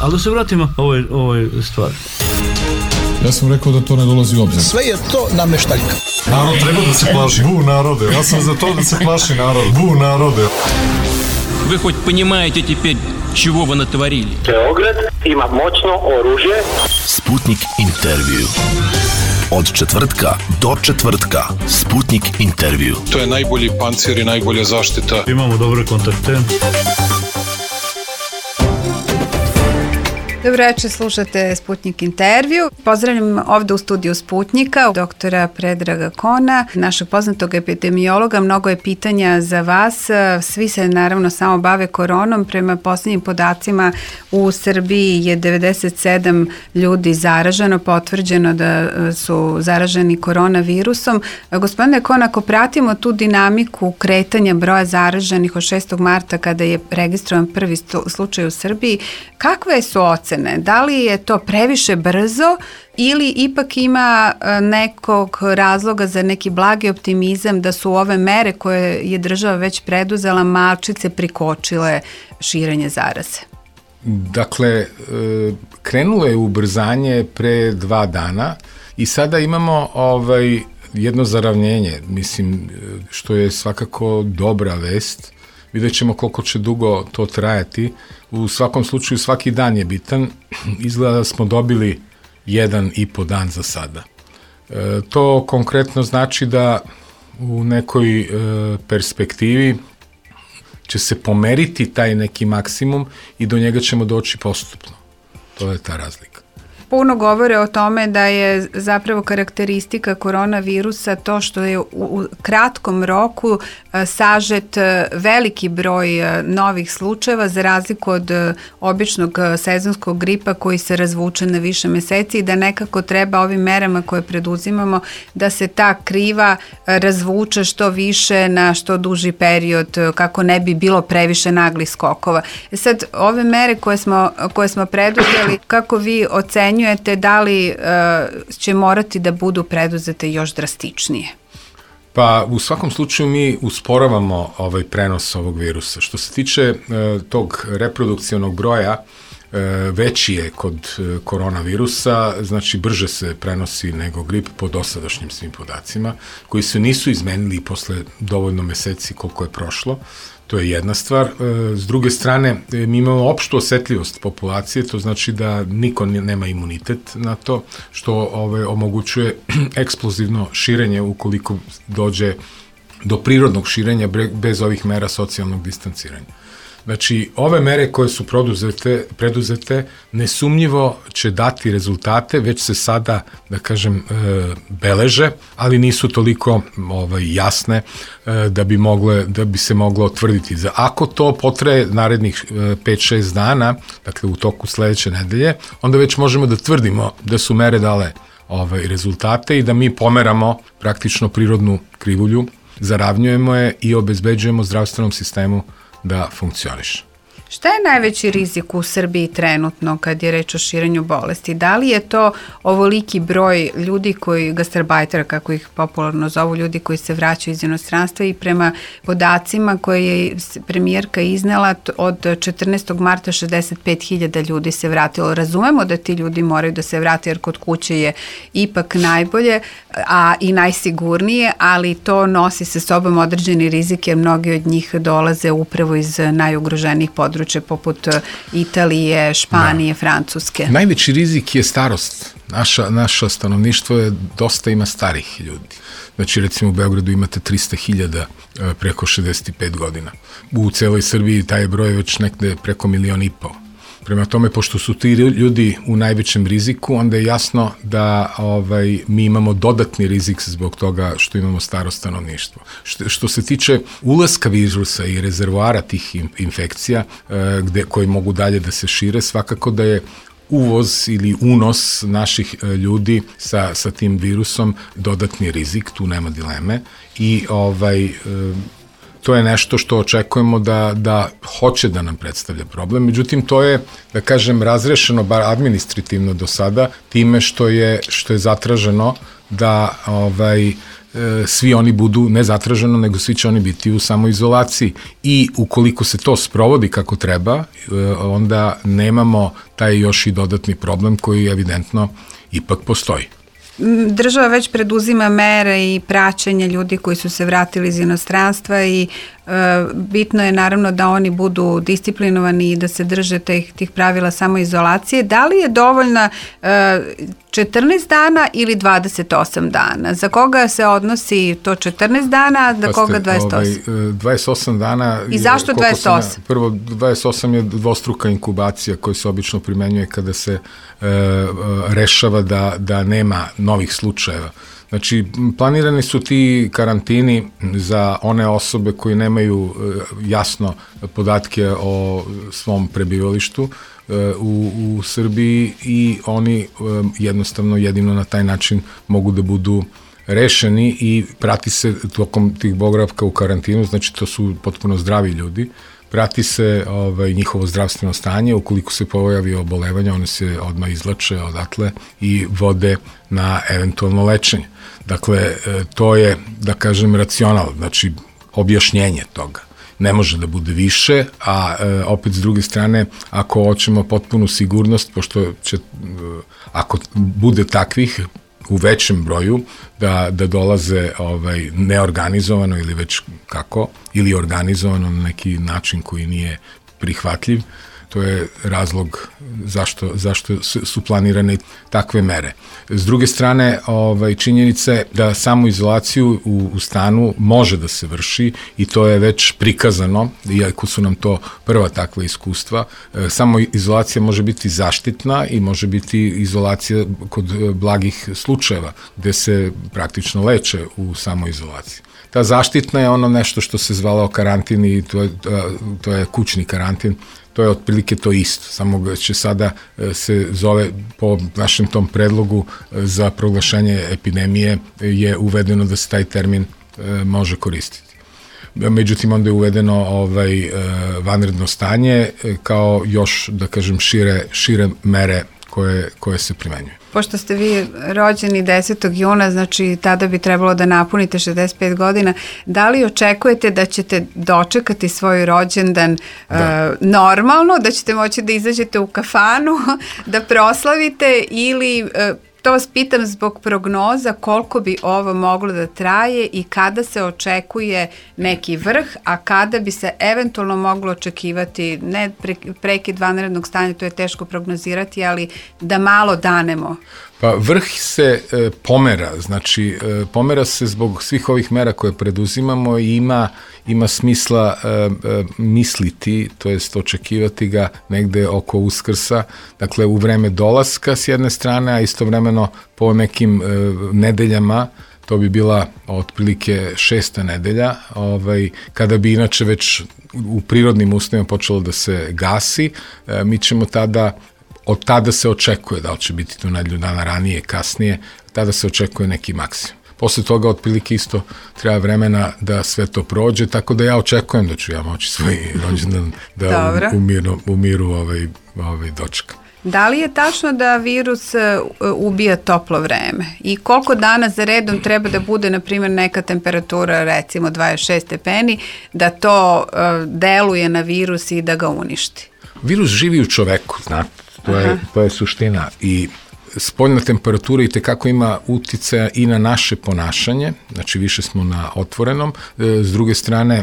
Ali da se vratimo ovoj stvari. Ja sam rekao da to ne dolazi u obzir. Sve je to nameštaljka. Narod treba da se plaši. Bu narode. Ja sam za to da se plaši narod. Bu narode. Вы хоть понимаете теперь, чего вы натворили? Beograd ima moćno oružje. Sputnik intervju. Od četvrtka do četvrtka. Sputnik intervju. To je najbolji pancir i najbolja zaštita. Imamo dobre kontakte. Dobro večer, slušate Sputnik intervju. Pozdravljam ovde u studiju Sputnika doktora Predraga Kona, našeg poznatog epidemiologa. Mnogo je pitanja za vas. Svi se naravno samo bave koronom. Prema posljednjim podacima u Srbiji je 97 ljudi zaraženo, potvrđeno da su zaraženi koronavirusom. Gospodine Kon, ako pratimo tu dinamiku kretanja broja zaraženih od 6. marta kada je registrovan prvi slučaj u Srbiji, kakve su ocene? Da li je to previše brzo ili ipak ima nekog razloga za neki blagi optimizam da su ove mere koje je država već preduzela malčice prikočile širenje zaraze? Dakle, krenulo je ubrzanje pre 2 dana i sada imamo jedno zaravnjenje, mislim, što je svakako dobra vest. Vidjet ćemo koliko će dugo to trajati. U svakom slučaju svaki dan je bitan. Izgleda da smo dobili 1,5 dan za sada. To konkretno znači da u nekoj perspektivi će se pomeriti taj neki maksimum i do njega ćemo doći postupno. To je ta razlika. Puno govore o tome da je zapravo karakteristika koronavirusa to što je u kratkom roku sažet veliki broj novih slučajeva za razliku od običnog sezonskog gripa koji se razvuče na više meseci i da nekako treba ovim merama koje preduzimamo da se ta kriva razvuče što više na što duži period kako ne bi bilo previše naglih skokova. Sad, ove mere koje smo preduzeli, kako vi ocenjujete da li će morati da budu preduzete još drastičnije? Pa u svakom slučaju mi usporavamo prenos ovog virusa. Što se tiče tog reprodukcionog broja, veći je kod koronavirusa, znači brže se prenosi nego grip po dosadašnjim svim podacima, koji se nisu izmenili posle dovoljno meseci koliko je prošlo. To je jedna stvar. S druge strane, mi imamo opštu osetljivost populacije, to znači da niko nema imunitet na to, što omogućuje eksplozivno širenje ukoliko dođe do prirodnog širenja bez ovih mera socijalnog distanciranja. Znači, ove mere koje su preduzete nesumnjivo će dati rezultate, već se sada, da kažem, beleže, ali nisu toliko jasne da bi se moglo tvrditi. Ako to potraje narednih 5-6 dana, dakle u toku sledeće nedelje, onda već možemo da tvrdimo da su mere dale rezultate i da mi pomeramo praktično prirodnu krivulju, zaravnjujemo je i obezbeđujemo zdravstvenom sistemu da funkcioniše. Šta je najveći rizik u Srbiji trenutno kad je reč o širenju bolesti? Da li je to ovoliki broj ljudi gastarbajtera, kako ih popularno zovu, ljudi koji se vraćaju iz inostranstva i prema podacima koje je premijerka iznela od 14. marta 65.000 ljudi se vratilo. Razumemo da ti ljudi moraju da se vrate jer kod kuće je ipak najbolje a i najsigurnije, ali to nosi sa sobom određeni rizik jer mnogi od njih dolaze upravo iz najugroženijih područja poput Italije, Španije, Francuske. Najveći rizik je starost. Naša stanovništvo dosta ima starih ljudi. Znači, recimo u Beogradu imate 300.000 preko 65 godina. U celoj Srbiji taj broj je već nekde preko 1,5 miliona. Prema tome, pošto su ti ljudi u najvećem riziku, onda je jasno da mi imamo dodatni rizik zbog toga što imamo staro stanovništvo. Što se tiče ulaska virusa i rezervoara tih infekcija koji mogu dalje da se šire, svakako da je uvoz ili unos naših ljudi sa tim virusom dodatni rizik, tu nema dileme i to je nešto što očekujemo da hoće da nam predstavlja problem. Međutim, to je, da kažem, razrešeno, bar administrativno do sada, time što je zatraženo da svi oni budu ne zatraženo, nego svi će oni biti u samoizolaciji. I ukoliko se to sprovodi kako treba, onda nemamo taj još i dodatni problem koji evidentno ipak postoji. Država već preduzima mere i praćenje ljudi koji su se vratili iz inostranstva i bitno je naravno da oni budu disciplinovani i da se drže tih pravila samoizolacije. Da li je dovoljna 14 dana ili 28 dana? Za koga se odnosi to 14 dana, a za koga 28? 28 dana... I zašto 28? Prvo, 28 je dvostruka inkubacija koja se obično primenjuje kada se rešava da nema novih slučajeva. Znači, planirani su ti karantini za one osobe koji nemaju jasno podatke o svom prebivalištu u Srbiji i oni jednostavno jedino na taj način mogu da budu rešeni i prati se tokom tih boravka u karantinu, znači to su potpuno zdravi ljudi, prati se njihovo zdravstveno stanje, ukoliko se pojavi obolevanje, one se odmah izlače odatle i vode na eventualno lečenje. Dakle, to je, da kažem, racional, znači objašnjenje toga. Ne može da bude više, a opet s druge strane, ako hoćemo potpunu sigurnost, pošto će, ako bude takvih u većem broju, da dolaze neorganizovano ili već kako, ili organizovano na neki način koji nije prihvatljiv, to je razlog zašto su planirane takve mere. S druge strane, činjenica je da samoizolaciju u stanu može da se vrši i to je već prikazano, iako su nam to prva takva iskustva. Samoizolacija može biti zaštitna i može biti izolacija kod blagih slučajeva, gde se praktično leče u samoizolaciji. Ta zaštitna je ono nešto što se zvalao karantin i to je kućni karantin. To je otprilike to isto, samo će sada se zove po našem tom predlogu za proglašenje epidemije je uvedeno da se taj termin može koristiti. Međutim, onda je uvedeno vanredno stanje kao još, da kažem, šire mere koje se primenjuju. Pošto ste vi rođeni 10. juna, znači tada bi trebalo da napunite 65 godina, da li očekujete da ćete dočekati svoj rođendan normalno, da ćete moći da izađete u kafanu, da proslavite ili... To vas pitam zbog prognoza koliko bi ovo moglo da traje i kada se očekuje neki vrh, a kada bi se eventualno moglo očekivati, ne prekid vanrednog stanja, to je teško prognozirati, ali da malo danemo. Pa vrh se pomera, znači pomera se zbog svih ovih mera koje preduzimamo i ima smisla misliti, to jest očekivati ga negde oko Uskrsa, dakle u vreme dolaska s jedne strane, a istovremeno po nekim nedeljama, to bi bila otprilike 6. nedelja, kada bi inače već u prirodnim uslovima počelo da se gasi, mi ćemo od tada se očekuje, da li će biti to nedelju dana ranije, kasnije, tada se očekuje neki maksimum. Posle toga otprilike isto treba vremena da sve to prođe, tako da ja očekujem da ću ja moći svoj rođendan da u miru dočekam. Da li je tačno da virus ubija toplo vreme? I koliko dana za redom treba da bude, na primjer, neka temperatura, recimo 26 stepeni, da to deluje na virus i da ga uništi? Virus živi u čoveku, znate, to je suština i spoljna temperatura i tekako ima uticaja i na naše ponašanje, znači više smo na otvorenom, s druge strane,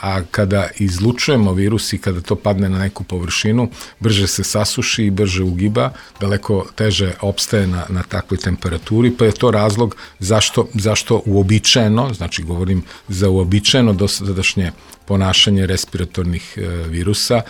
a kada izlučujemo virus i kada to padne na neku površinu, brže se sasuši i brže ugiba, daleko teže opstaje na takvoj temperaturi, pa je to razlog zašto uobičajeno, znači govorim za uobičajeno dosadašnje ponašanje respiratornih virusa,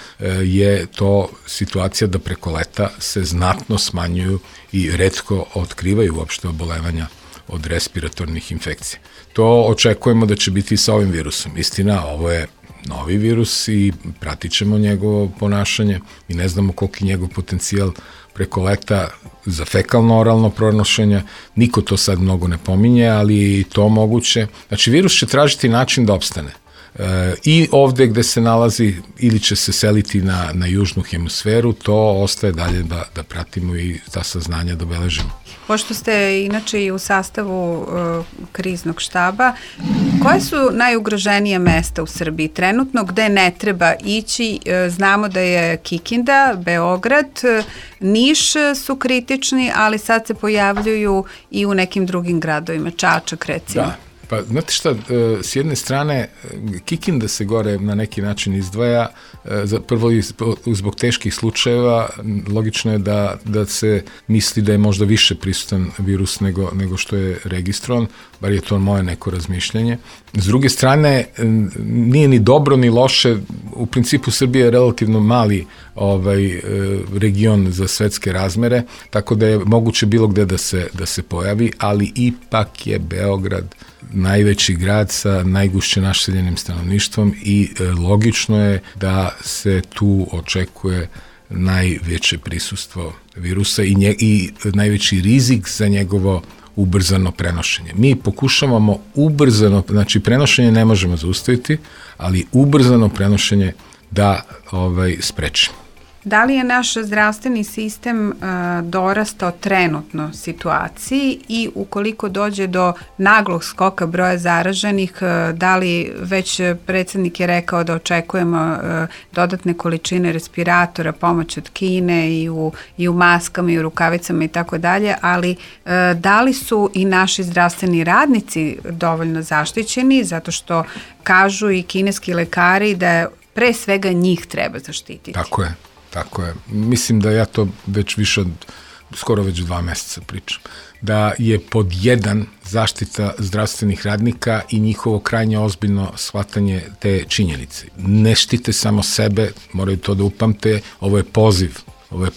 je to situacija da preko leta se znatno smanjuju i retko otkrivaju uopšte obolevanja od respiratornih infekcija. To očekujemo da će biti i sa ovim virusom. Istina, ovo je novi virus i pratit ćemo njegovo ponašanje i ne znamo koliki njegov potencijal preko leta za fekalno-oralno pronošenje. Niko to sad mnogo ne pominje, ali je i to moguće. Znači, virus će tražiti način da opstane. I ovde gde se nalazi ili će se seliti na južnu hemisferu, to ostaje dalje da pratimo i ta saznanja da beležimo. Pošto ste inače i u sastavu kriznog štaba, koje su najugroženije mesta u Srbiji trenutno gde ne treba ići? Znamo da je Kikinda, Beograd, Niš su kritični, ali sad se pojavljuju i u nekim drugim gradovima, Čačak recimo. Da. Pa, znate šta, s jedne strane, Kikinda se gore na neki način izdvaja, prvo zbog teških slučajeva, logično je da se misli da je možda više prisutan virus nego što je registrovan, bar je to moje neko razmišljanje. S druge strane, nije ni dobro ni loše, u principu Srbija je relativno mali region za svetske razmere, tako da je moguće bilo gde da se pojavi, ali ipak je Beograd najveći grad sa najgušće naseljenim stanovništvom i logično je da se tu očekuje najveće prisustvo virusa i najveći rizik za njegovo ubrzano prenošenje. Mi pokušavamo ubrzano, znači prenošenje ne možemo zaustaviti, ali ubrzano prenošenje da sprečimo. Da li je naš zdravstveni sistem dorastao trenutno situaciji i ukoliko dođe do naglog skoka broja zaraženih, da li već predsjednik je rekao da očekujemo dodatne količine respiratora, pomoć od Kine i u maskama i u rukavicama i tako dalje, ali da li su i naši zdravstveni radnici dovoljno zaštićeni, zato što kažu i kineski lekari da pre svega njih treba zaštititi. Tako je. Mislim da ja to već više od, skoro već 2 meseca pričam. Da je pod 1 zaštita zdravstvenih radnika i njihovo krajnje ozbiljno shvatanje te činjenice. Ne štite samo sebe, moraju to da upamte, ovo je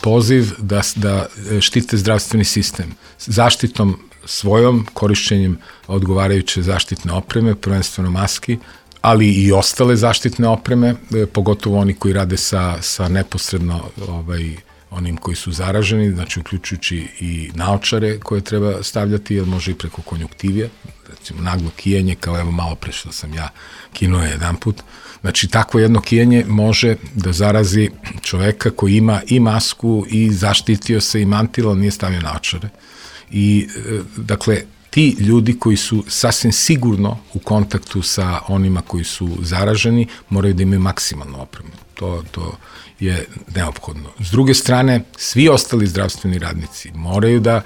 poziv da štite zdravstveni sistem. Zaštitom svojom, korišćenjem odgovarajuće zaštitne opreme, prvenstveno maski, ali i ostale zaštitne opreme, pogotovo oni koji rade sa neposredno onim koji su zaraženi, znači uključujući i naočare koje treba stavljati, jer može i preko konjuktivija, recimo naglo kijenje, kao evo malo pre što sam ja kinuo jedan put. Znači takvo jedno kijenje može da zarazi čoveka koji ima i masku i zaštitio se i mantil, ali nije stavio naočare. I dakle, ti ljudi koji su sasvim sigurno u kontaktu sa onima koji su zaraženi moraju da imaju maksimalnu opremu. To je neophodno. S druge strane, svi ostali zdravstveni radnici moraju da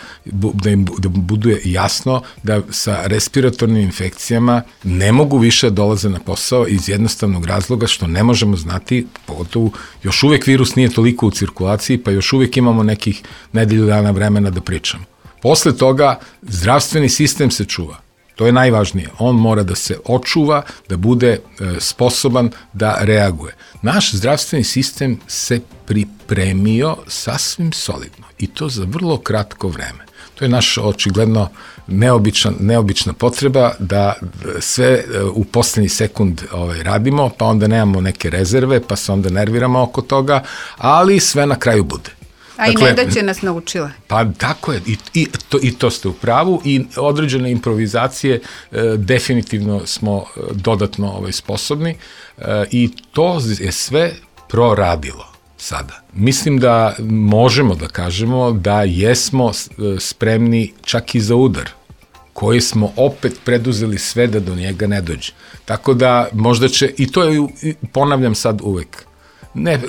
bude jasno da sa respiratornim infekcijama ne mogu više dolaze na posao iz jednostavnog razloga što ne možemo znati, pogotovo još uvek virus nije toliko u cirkulaciji, pa još uvek imamo nekih nedelju dana vremena da pričamo. Posle toga zdravstveni sistem se čuva. To je najvažnije. On mora da se očuva, da bude sposoban da reaguje. Naš zdravstveni sistem se pripremio sasvim solidno i to za vrlo kratko vreme. To je naš očigledno neobična potreba da sve u poslednji sekund radimo, pa onda nemamo neke rezerve, pa se onda nerviramo oko toga, ali sve na kraju bude. A dakle, i nedaće nas naučila. Pa tako je, i to ste u pravu i određene improvizacije definitivno smo dodatno sposobni i to je sve proradilo sada. Mislim da možemo da kažemo da jesmo spremni čak i za udar, koji smo opet preduzeli sve da do njega ne dođe. Tako da možda će, i to je, ponavljam sad uvek, ne,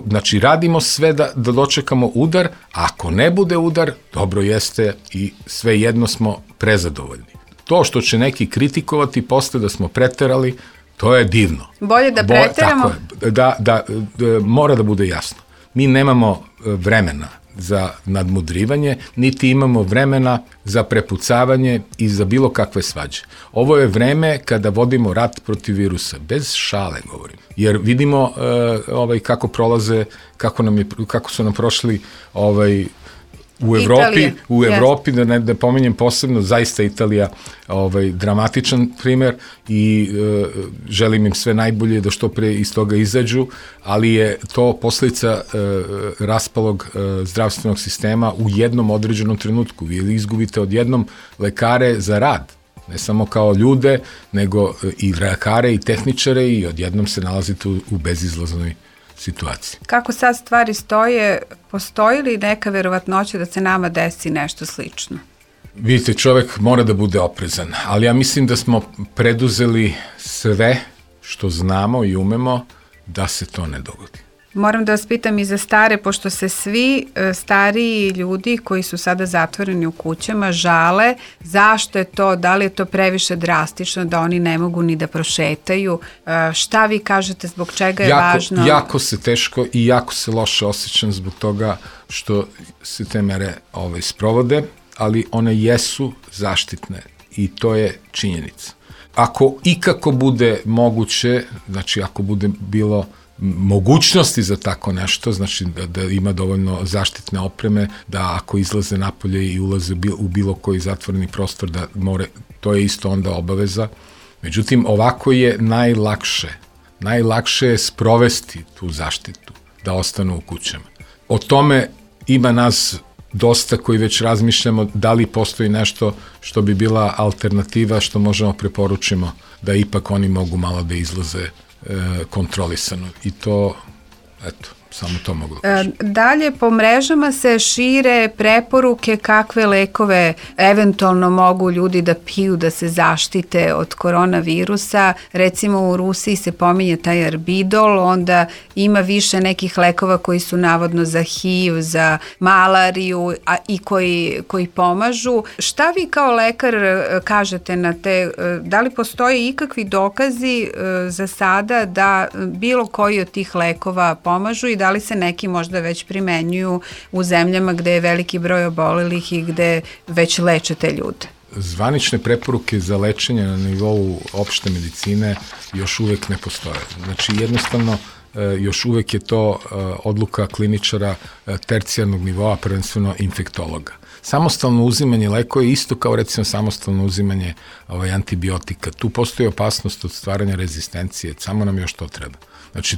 znači radimo sve da dočekamo udar, ako ne bude udar, dobro jeste i svejedno smo prezadovoljni. To što će neki kritikovati posle da smo preterali, to je divno. Bolje da preteramo? Tako je, mora da bude jasno. Mi nemamo vremena za nadmudrivanje, niti imamo vremena za prepucavanje i za bilo kakve svađe. Ovo je vreme kada vodimo rat protiv virusa, bez šale govorim, jer vidimo kako prolaze, kako su nam prošli u Evropi, da ne pomenjem posebno, zaista Italija dramatičan primer i želim im sve najbolje da što pre iz toga izađu, ali je to posledica raspalog zdravstvenog sistema u jednom određenom trenutku. Vi izgubite odjednom lekare za rad. Ne samo kao ljude, nego i lekare i tehničare i odjednom se nalazite u bezizlaznoj situaciji. Kako sad stvari stoje, postoji li neka verovatnoća da se nama desi nešto slično? Vidite, čovek mora da bude oprezan, ali ja mislim da smo preduzeli sve što znamo i umemo da se to ne dogodi. Moram da vas pitam i za stare, pošto se svi stariji ljudi koji su sada zatvoreni u kućama žale zašto je to, da li je to previše drastično, da oni ne mogu ni da prošetaju. Šta vi kažete, zbog čega je važno? Jako se teško i jako se loše osjećam zbog toga što se te mere sprovode, ali one jesu zaštitne i to je činjenica. Ako ikako bude moguće, znači ako bude bilo mogućnosti za tako nešto, znači da ima dovoljno zaštitne opreme, da ako izlaze napolje i ulaze u bilo koji zatvoreni prostor, da more, to je isto onda obaveza. Međutim, ovako je najlakše je sprovesti tu zaštitu, da ostanu u kućama. O tome ima nas dosta koji već razmišljamo da li postoji nešto što bi bila alternativa, što možemo preporučimo da ipak oni mogu malo da izlaze kontrolisano. I to, eto, samo to mogu da kažem. Dalje, po mrežama se šire preporuke kakve lekove eventualno mogu ljudi da piju da se zaštite od koronavirusa. Recimo u Rusiji se pominje taj Arbidol, onda ima više nekih lekova koji su navodno za HIV, za malariju i koji pomažu. Šta vi kao lekar kažete na te, da li postoje ikakvi dokazi za sada da bilo koji od tih lekova pomažu i da li se neki možda već primenjuju u zemljama gde je veliki broj obolelih i gde već leče te ljude? Zvanične preporuke za lečenje na nivou opšte medicine još uvek ne postoje. Znači jednostavno još uvek je to odluka kliničara tercijarnog nivoa, prvenstveno infektologa. Samostalno uzimanje lekova je isto kao recimo samostalno uzimanje antibiotika. Tu postoji opasnost od stvaranja rezistencije, samo nam još to treba. Znači,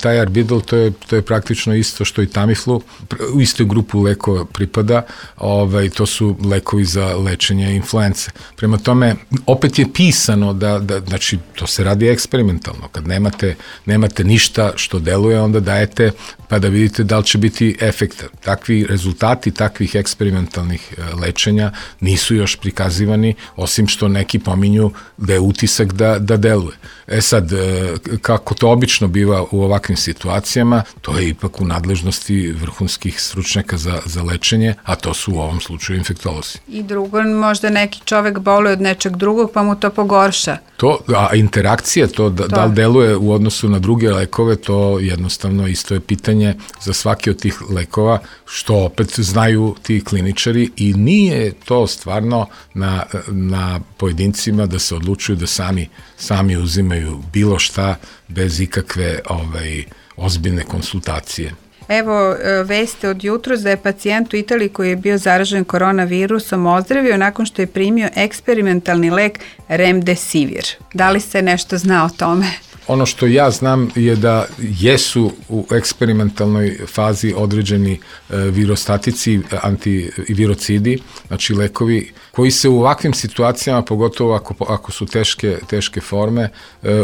taj Arbidol, to je praktično isto što i Tamiflu, u istoj grupu lekova pripada, to su lekovi za lečenje influence. Prema tome, opet je pisano znači, to se radi eksperimentalno. Kad nemate ništa što deluje, onda dajete pa da vidite da li će biti efekta. Takvi rezultati takvih eksperimentalnih lečenja nisu još prikazivani, osim što neki pominju da je utisak da deluje. Sad, kako to obično biva u ovakvim situacijama, to je ipak u nadležnosti vrhunskih stručnjaka za lečenje, a to su u ovom slučaju infektolozi. I drugo, možda neki čovek boluje od nečeg drugog, pa mu to pogorša. A interakcija, da li deluje u odnosu na druge lekove, to jednostavno isto je pitanje za svaki od tih lekova, što opet znaju ti kliničari i nije to stvarno na pojedincima da se odlučuju da sami uzimaju bilo šta bez ikakve ozbiljne konsultacije. Evo, veste od jutros da je pacijent u Italiji koji je bio zaražen koronavirusom ozdravio nakon što je primio eksperimentalni lek Remdesivir. Da li se nešto zna o tome? Ono što ja znam je da jesu u eksperimentalnoj fazi određeni virostatici, antivirocidi, znači lekovi koji se u ovakvim situacijama, pogotovo ako su teške forme,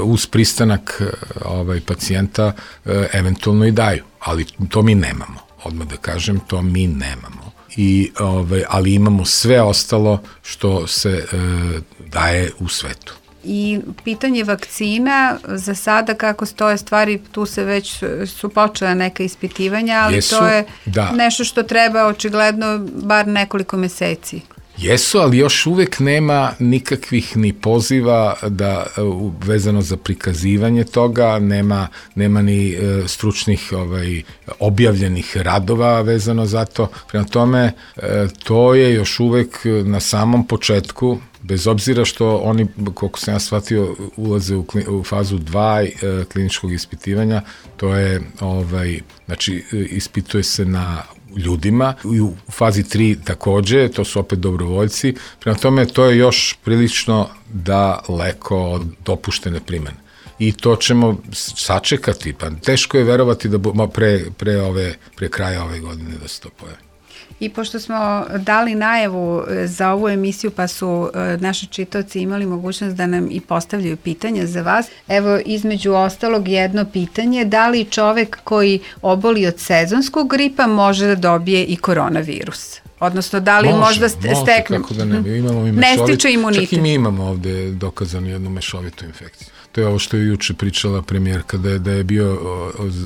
uz pristanak pacijenta eventualno i daju. Ali to mi nemamo. Odmah da kažem, to mi nemamo. Ali imamo sve ostalo što se daje u svetu. I pitanje vakcina, za sada kako stoje stvari, tu se već su počela neka ispitivanja, ali to je nešto što treba očigledno bar nekoliko meseci. Jesu, ali još uvek nema nikakvih ni poziva vezano za prikazivanje toga, nema ni stručnih objavljenih radova vezano za to. Prema tome, to je još uvek na samom početku, bez obzira što oni, koliko sam ja shvatio, ulaze u fazu 2 kliničkog ispitivanja, to je, znači, ispituje se na ljudima, u fazi 3 takođe, to su opet dobrovoljci, prema tome to je još prilično daleko od dopuštene primene. I to ćemo sačekati, pa teško je verovati da pre kraja ove godine da se to pojavi. I pošto smo dali najavu za ovu emisiju, pa su naši čitaoci imali mogućnost da nam i postavljaju pitanja za vas, evo između ostalog jedno pitanje, da li čovek koji oboli od sezonskog gripa može da dobije i koronavirus? Odnosno, da li možda stekne? Kako da ne, imamo i ne stiče imunitet. Čak i mi imamo ovde dokazanu jednu mešovitu infekciju. To je ovo što je juče pričala premijerka, da je bio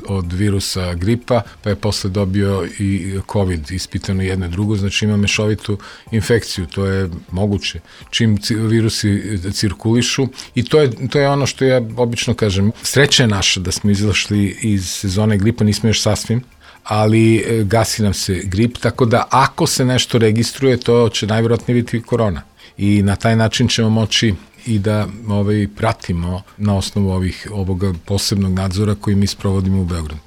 od virusa gripa, pa je posle dobio i COVID, ispitano jedno i drugo, znači ima mešovitu infekciju, to je moguće. Čim virusi cirkulišu, i to je ono što ja obično kažem, sreća je naša da smo izašli iz sezone gripa, nismo još sasvim, ali gasi nam se grip, tako da ako se nešto registruje, to će najvjerojatnije biti korona. I na taj način ćemo moći i da pratimo na osnovu ovoga posebnog nadzora koji mi sprovodimo u Beogradu.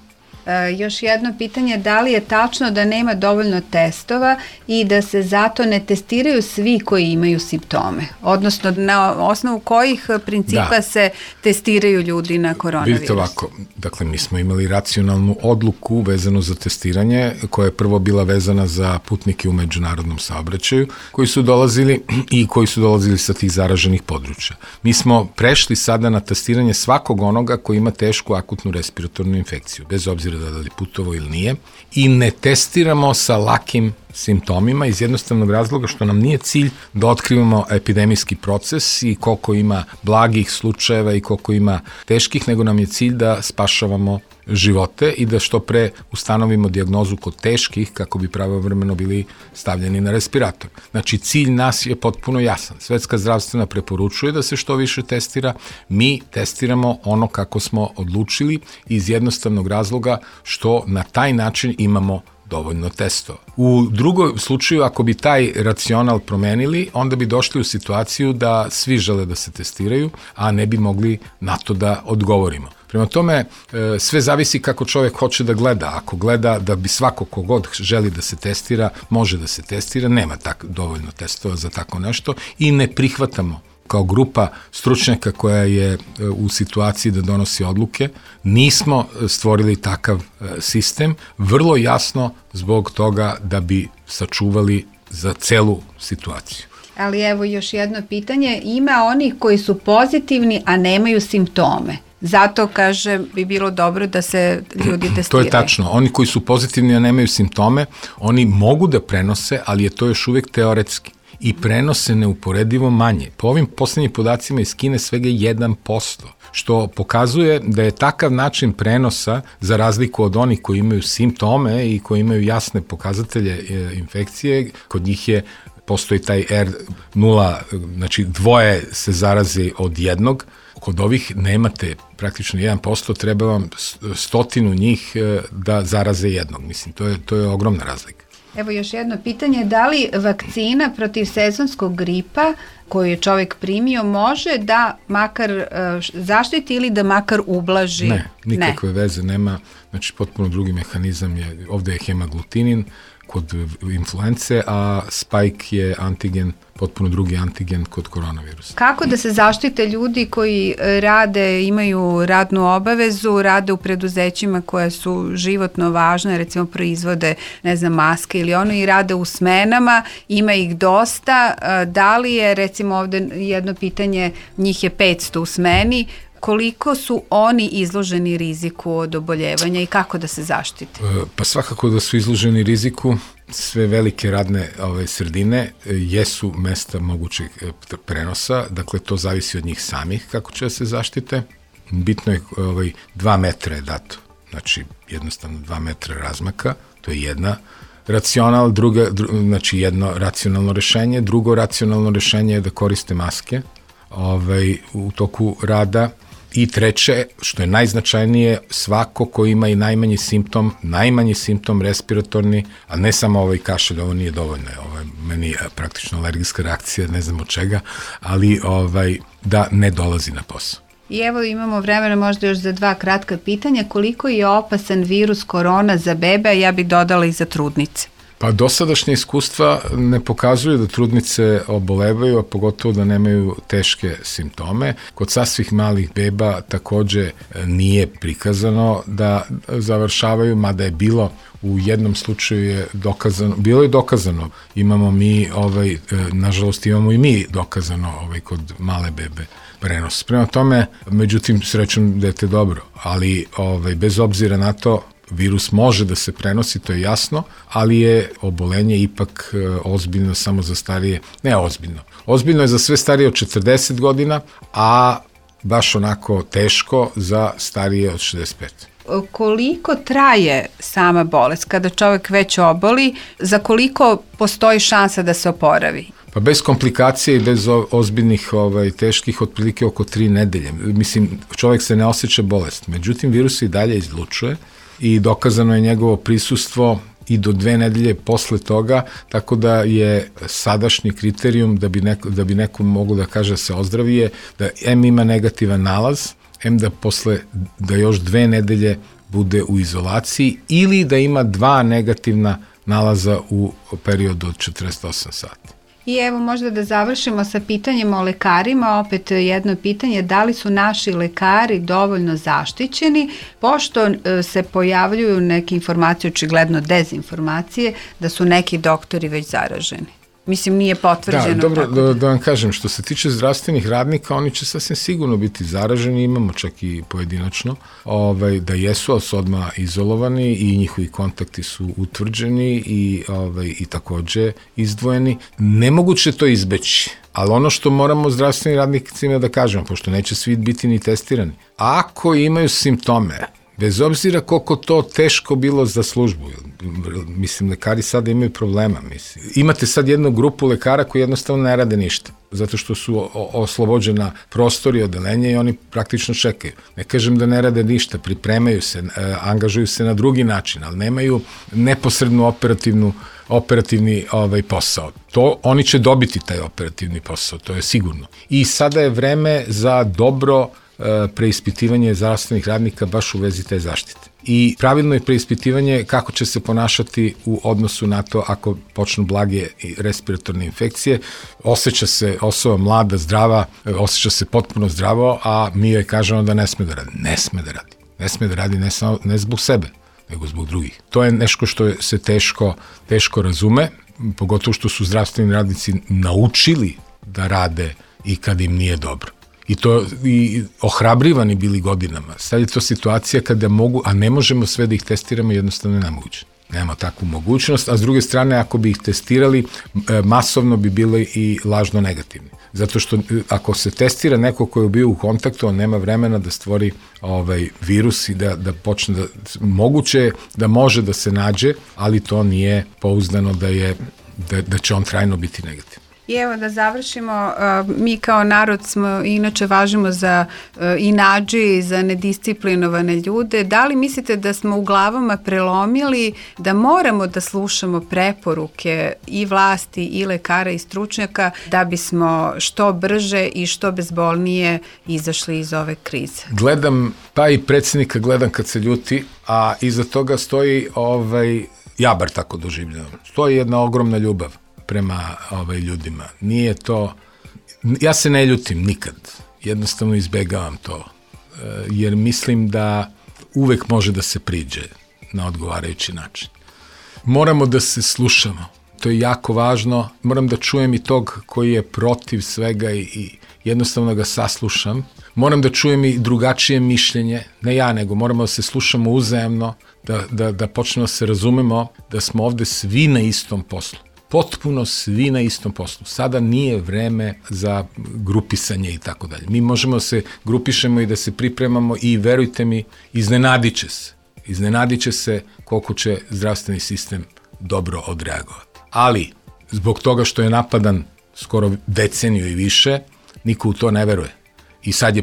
Još jedno pitanje, da li je tačno da nema dovoljno testova i da se zato ne testiraju svi koji imaju simptome? Odnosno, na osnovu kojih principa se testiraju ljudi na koronavirus? Vidite ovako, dakle, mi smo imali racionalnu odluku vezanu za testiranje, koja je prvo bila vezana za putnike u međunarodnom saobraćaju, koji su dolazili sa tih zaraženih područja. Mi smo prešli sada na testiranje svakog onoga koji ima tešku akutnu respiratornu infekciju, bez obzira da li putovo ili nije, i ne testiramo sa lakim simptomima iz jednostavnog razloga što nam nije cilj da otkrivamo epidemijski proces i koliko ima blagih slučajeva i koliko ima teških, nego nam je cilj da spašavamo živote i da što pre ustanovimo dijagnozu kod teških kako bi pravovremeno bili stavljeni na respirator. Znači, cilj nas je potpuno jasan. Svetska zdravstvena preporučuje da se što više testira. Mi testiramo ono kako smo odlučili iz jednostavnog razloga što na taj način imamo dovoljno testova. U drugom slučaju, ako bi taj racional promenili, onda bi došli u situaciju da svi žele da se testiraju, a ne bi mogli na to da odgovorimo. Prema tome, sve zavisi kako čovjek hoće da gleda. Ako gleda da bi svako kogod želi da se testira, može da se testira, nema dovoljno testova za tako nešto i ne prihvatamo kao grupa stručnjaka koja je u situaciji da donosi odluke, nismo stvorili takav sistem, vrlo jasno zbog toga da bi sačuvali za celu situaciju. Ali evo još jedno pitanje, ima onih koji su pozitivni, a nemaju simptome. Zato, kaže, bi bilo dobro da se ljudi testiraju. To je tačno. Oni koji su pozitivni, a nemaju simptome, oni mogu da prenose, ali je to još uvijek teoretski. I prenose neuporedivo manje. Po ovim poslednjim podacima iz Kine svega 1%, što pokazuje da je takav način prenosa, za razliku od onih koji imaju simptome i koji imaju jasne pokazatelje infekcije, kod njih postoji taj R0, znači dvoje se zaraze od jednog, kod ovih nemate praktično 1%, treba vam 100 njih da zaraze jednog. Mislim, to je ogromna razlika. Evo još jedno pitanje, da li vakcina protiv sezonskog gripa koju je čovjek primio može da makar zaštiti ili da makar ublaži? Ne, nikakve veze nema, znači potpuno drugi mehanizam je, ovde je hemaglutinin kod influence, a spike je antigen, potpuno drugi antigen kod koronavirusa. Kako da se zaštite ljudi koji rade, imaju radnu obavezu, rade u preduzećima koja su životno važne, recimo proizvode, ne znam, maske ili ono, i rade u smenama, ima ih dosta, da li je, recimo ovde jedno pitanje, njih je 500 u smeni, koliko su oni izloženi riziku od oboljevanja i kako da se zaštite? Pa svakako da su izloženi riziku. Sve velike radne sredine jesu mesta mogućeg prenosa, dakle to zavisi od njih samih kako će da se zaštite. Bitno je 2 metra je dato, znači jednostavno 2 metra razmaka, to je jedna racional, znači jedno racionalno rešenje, drugo racionalno rešenje je da koriste maske u toku rada. I treće, što je najznačajnije, svako ko ima i najmanji simptom respiratorni, a ne samo kašalj, ovo nije dovoljno, ovo je meni praktično alergijska reakcija, ne znam od čega, ali da ne dolazi na posao. I evo imamo vremena možda još za 2 kratka pitanja. Koliko je opasan virus korona za bebe, a ja bih dodala i za trudnice? Pa dosadašnje iskustva ne pokazuju da trudnice obolevaju, a pogotovo da nemaju teške simptome. Kod sasvih malih beba takođe nije prikazano da završavaju, mada je bilo u jednom slučaju je dokazano, bilo je dokazano, imamo mi, nažalost imamo i mi dokazano kod male bebe prenos. Prema tome, međutim, srećom dete dobro, ali bez obzira na to, virus može da se prenosi, to je jasno, ali je obolenje ipak ozbiljno samo za starije, ne ozbiljno. Ozbiljno je za sve starije od 40 godina, a baš onako teško za starije od 65. Koliko traje sama bolest kada čovjek već oboli, za koliko postoji šansa da se oporavi? Pa bez komplikacije i bez ozbiljnih teških, otprilike oko 3 nedelje. Mislim, čovjek se ne osjeća bolest, međutim virus i dalje izlučuje i dokazano je njegovo prisustvo i do 2 nedelje posle toga, tako da je sadašnji kriterijum da bi neko mogo da kaže se ozdravije, da M ima negativan nalaz, M da još 2 nedelje bude u izolaciji ili da ima 2 negativna nalaza u periodu od 48 sati. I evo možda da završimo sa pitanjem o lekarima, opet jedno pitanje, da li su naši lekari dovoljno zaštićeni, pošto se pojavljuju neke informacije, očigledno dezinformacije, da su neki doktori već zaraženi. Mislim, nije potvrđeno. Da, dobro, da vam kažem, što se tiče zdravstvenih radnika, oni će sasvim sigurno biti zaraženi, imamo čak i pojedinačno, da jesu, ali su odmah izolovani i njihovi kontakti su utvrđeni i takođe izdvojeni. Nemoguće to izbeći, ali ono što moramo zdravstvenim radnicima da kažemo, pošto neće svi biti ni testirani, ako imaju simptome, bez obzira koliko to teško bilo za službu, mislim, lekari sada imaju problema, mislim. Imate sad jednu grupu lekara koji jednostavno ne rade ništa, zato što su oslobođena prostori i odelenja i oni praktično čekaju. Ne kažem da ne rade ništa, pripremaju se, angažuju se na drugi način, ali nemaju neposrednu operativni posao. Oni će dobiti taj operativni posao, to je sigurno. I sada je vreme za dobro preispitivanje zdravstvenih radnika baš u vezi te zaštite. I pravilno je preispitivanje kako će se ponašati u odnosu na to ako počnu blage respiratorne infekcije. Osjeća se osoba mlada, zdrava, osjeća se potpuno zdravo, a mi joj kažemo da ne sme da radi. Ne sme da radi. Ne sme da radi ne zbog sebe, nego zbog drugih. To je nešto što se teško razume, pogotovo što su zdravstveni radnici naučili da rade i kad im nije dobro. I ohrabrivani bili godinama. Sad je to situacija kada mogu, a ne možemo sve da ih testiramo, jednostavno je nemoguće. Nemamo takvu mogućnost, a s druge strane, ako bi ih testirali, masovno bi bili i lažno negativni. Zato što ako se testira neko koji je bio u kontaktu, on nema vremena da stvori virus i da počne moguće da može da se nađe, ali to nije pouzdano da će on trajno biti negativan. I evo da završimo, mi kao narod smo inače važimo za inađi, za nedisciplinovane ljude. Da li mislite da smo u glavama prelomili da moramo da slušamo preporuke i vlasti i lekara i stručnjaka da bismo što brže i što bezbolnije izašli iz ove krize? Gledam, pa i predsjednika gledam kad se ljuti, a iza toga stoji, ja bar tako doživljavam, stoji jedna ogromna ljubav prema ljudima. Nije to, ja se ne ljutim nikad, jednostavno izbegavam to, jer mislim da uvek može da se priđe na odgovarajući način. Moramo da se slušamo, to je jako važno, moram da čujem i tog koji je protiv svega i jednostavno ga saslušam, moram da čujem i drugačije mišljenje, ne ja, nego moramo da se slušamo uzajamno, da počnemo da se razumemo, da smo ovde svi na istom poslu. Potpuno svi na istom poslu. Sada nije vreme za grupisanje i tako dalje. Mi možemo da se grupišemo i da se pripremamo i verujte mi, iznenadit će se koliko će zdravstveni sistem dobro odreagovati. Ali, zbog toga što je napadan skoro deceniju i više, niko u to ne veruje. I sad je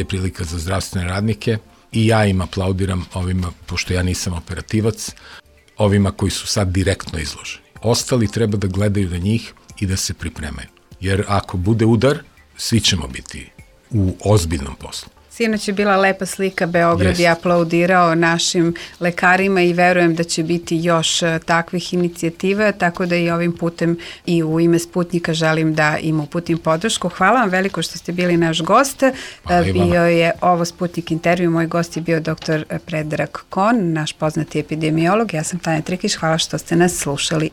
prilika za zdravstvene radnike i ja im aplaudiram ovima, pošto ja nisam operativac, ovima koji su sad direktno izloženi. Ostali treba da gledaju na njih i da se pripremaju. Jer ako bude udar, svi ćemo biti u ozbiljnom poslu. Sinoć je bila lepa slika, Beograd je aplaudirao našim lekarima i verujem da će biti još takvih inicijativa, tako da i ovim putem i u ime Sputnika želim da im uputim podršku. Hvala vam veliko što ste bili naš gost. Bio je ovo Sputnik intervju, moj gost je bio dr. Predrag Kon, naš poznati epidemiolog. Ja sam Tanja Trikić, hvala što ste nas slušali.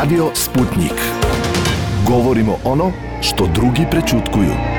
Radio Sputnik. Govorimo ono što drugi prećutkuju.